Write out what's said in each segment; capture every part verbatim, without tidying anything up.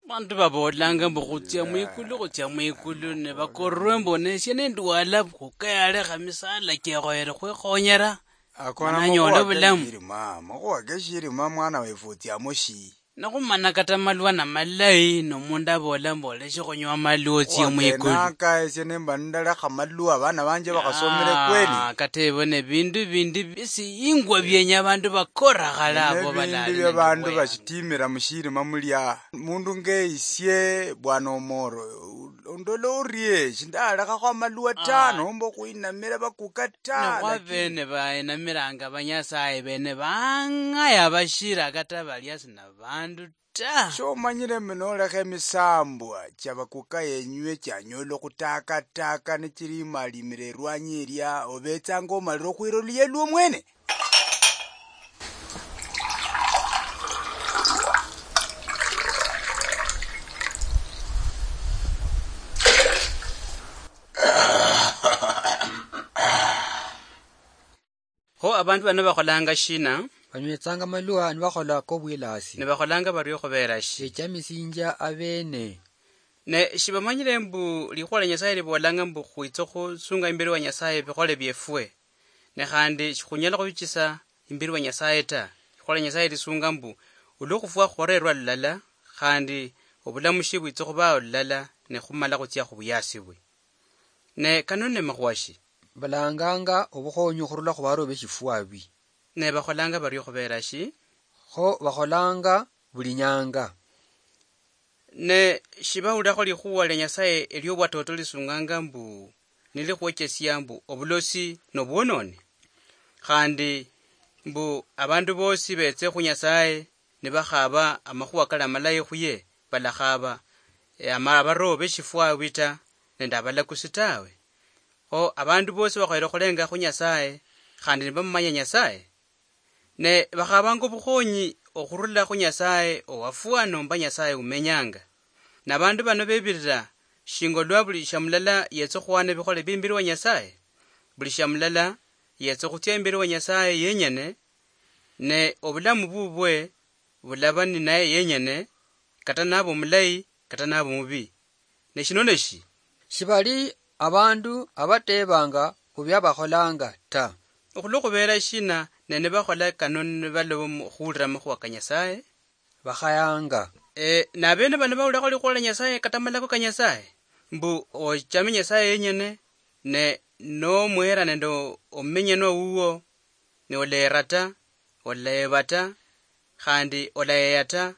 Bandu baboolanga mbu khutsia mwikulu, khutsia mwikulu, ne bakorwe mbu nesie nendwala, khukeyalekha misala chiekhoyere khwikhonyera, akona mana nyole makhuwa bulamu. Keshirima, makhuwa keshirima, mwana wefu, otsiamo shi? Nokhumana kata malwa na malayi, nomundu abola mbu oleshe khunywa amalwa otsie mwikulu. Wakenaka esie nemba nindalekha malwa, abana banje bakhasomere kweli? Ah, kata ebone bindu bindi bisi ingwa bienya abandu bakora khale abo. Bindu bia bandu bashitimira mushirima mulia. Mundu nge isie, bwana Omoro, ondola orie, shindalekhakho amalwa ta, nomba okhwinamira bakuka ta, lakini bene baenamiranga banyasaye bene bang'aya bashira kata balia sina bandu ta. Shomanyire mbu nolekha emisambwa chia bakuka yenywe chianyola okhutakataka nichirimalimire erwanyi eria, obetsanga omalire okhwira oluya lwo mwene? Kho abandu bano bakholanga shina? Banywetsanga amalwa nibakhola kobwilasi. Nibakholanga bario khubera shi? Bechamisinjia abene. Ne shibamanyire mbu likhuwa lia Nyasaye libolanga mbu khwitsa khusunga imberi wa Nyasaye bikhole biefwe. Ne khandi shikhunyala khubichisa imberi wa Nyasaye ta. Likhuwa lia Nyasaye lisunga mbu olwokhufwa khurerwa lulala, khandi obulamushi bwitsa khubao lulala, ne khumala khutsia khubuyasi bwe. Ne kano ne makhuwa shi? Balanganga obukhonyi okhurula khubarobe shifwabi. Ne bakholanga bario khubera shi? Kho bakholanga buli nyanga. Ne shibawulakho likhuwa lia Nyasaye eliobwatoto lisunganga mbu nilikhwechesia mbu obulosi nobwononi? Khandi mbu abandu bosi betse khu Nyasaye nibakhaba amakhuwa kali amalayi khuye, balakhaba, eh, ama-, abaroho beshifwabi ta, nende abalakusi tawe. Kho abandu bosi bakhoyere khulenga khu Nyasaye, khandi nibamumanya Nyasaye. Ne bakhabanga obukhonyi okhurula khu Nyasaye owafwa nomba Nyasaye umenyanga. Nabandu bano bebirira shinga olwa buli shamulala yetsa okhuhana ebikhole bie imberi wa Nyasaye. Buli shamulala yetsa okhutsia imberi wa Nyasaye yenyene, ne obulamu bubwe bulaba ninaye yenyene, kata naba omulayi, kata naba omubi. Ne shino neshi? Shibali abandu abatebanga khubia bakholanga ta. Okhulwa khubeera shina ne nibakhola kano nibaloba mu khuwulira amakhuwa ka Nyasaye? Bakhayanga. Eh, nabene bano bawulakho likhuwa lia Nyasaye kata amalako ka Nyasaye? Mbu ochame Nyasaye yenyene, ne nomuhera nende omumenyenwa wuwo, ne oleera ta, oleeba ta, khandi olayeya ta,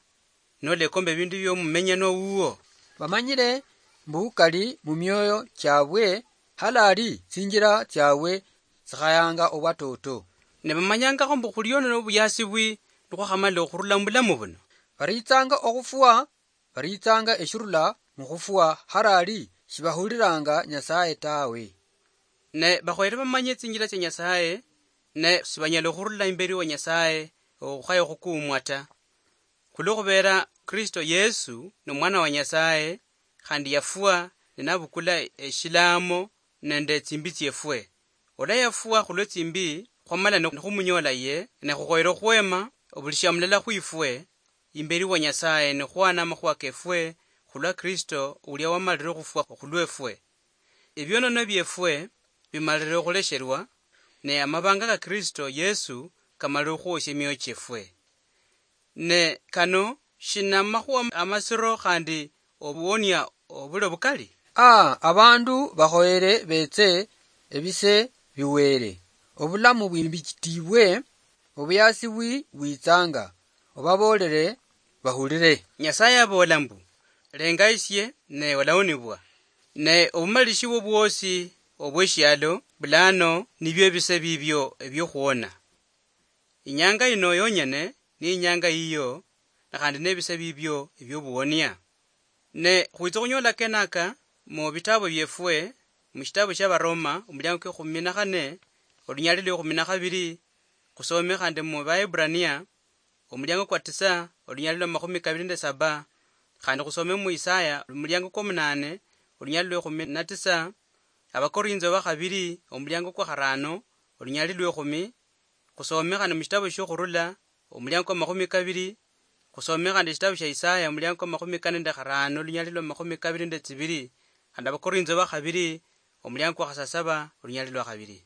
nolekomba ebindu biomumenyenwa wuwo. Bamanyire mbu kali mumioyo chiabwe, halali tsinjira tsiabwe tsikhayanga obwatoto. Ne bamanyangakho mbu khuliyo nobuyasi bwi nikhwakhamala okhurula mubulamu buno. Baritsanga okhufwa, baritsanga eshirula mukhufwa, harali shibahuliranga Nyasaye tawe. Ne bakhoyere bamanye tsinjira tsia Nyasaye, ne sibanyala okhurula imberi wa Nyasaye okhukhaya okhukuumwa ta. Khulwo khubeera Kristo Yesu nomwana wa Nyasaye, khandi yafwa ne nabukula eshilaamo nende tsimbi tsiefwe. Olwa yafwa khulwe tsimbi, khwamala ne nikhumunyoola ye, ne khukhoyere okhwema obuli shamulala khwifwe imberi wa Nyasaye, nikhwana amakhuwa kefwe khulwa Kristo ulia wamalire okhufwa khulwefwe. Ebionono biefwe bimalire okhulesherwa, ne amabanga ka Kristo Yesu kamalire okhuosia emioyo chiefwe. Ne kano shinamakhuwa amasiro khandi obuwonia obuli obukali? A, abandu bakhoyere betse ebise biwere, obulamu bwimbitibwe, obuyasi bwi bwitsanga, obaboolere bahulire. Nyasaye aboola mbu, "Lenga isie, ne olawonibwa." Ne obumalishi bwo bwosi obweshialo bulano nibio ebise bibio ebiokhuona. Inyanga yino yonyene ni inyanga yiyo, na khandi nebise bibio ebiobuwonia. Ne khwitsa khunyola kenaka mu bitabo biefwe, mu shitabo shia Baroma, omuliango kwa ekhumi na khane, olunyali lwa ekhumi na khabiri, khusome khandi mu Baebrania, omuliango kwa tisa, olunyali lwa makhumi kabiri nende saba, khandi khusome mu Isaya, omuliango kwa munane, olunyali lwa ekhumi na tisa, Abakorintho ba khabiri, omuliango kwa kharano, olunyali lwa ekhumi, khusome khandi mu shitabo shiokhurula, omuliango kwa makhumi kabiri, Khusome khandi eshitabu shia Isaya, omuliango kwa makhumi kane nende kharano, olunyali lwa makhumi kabiri nende tsibiri, khandi Abakorintho ba khabiri, omuliango kwa khasasaba, olunyali lwa khabiri.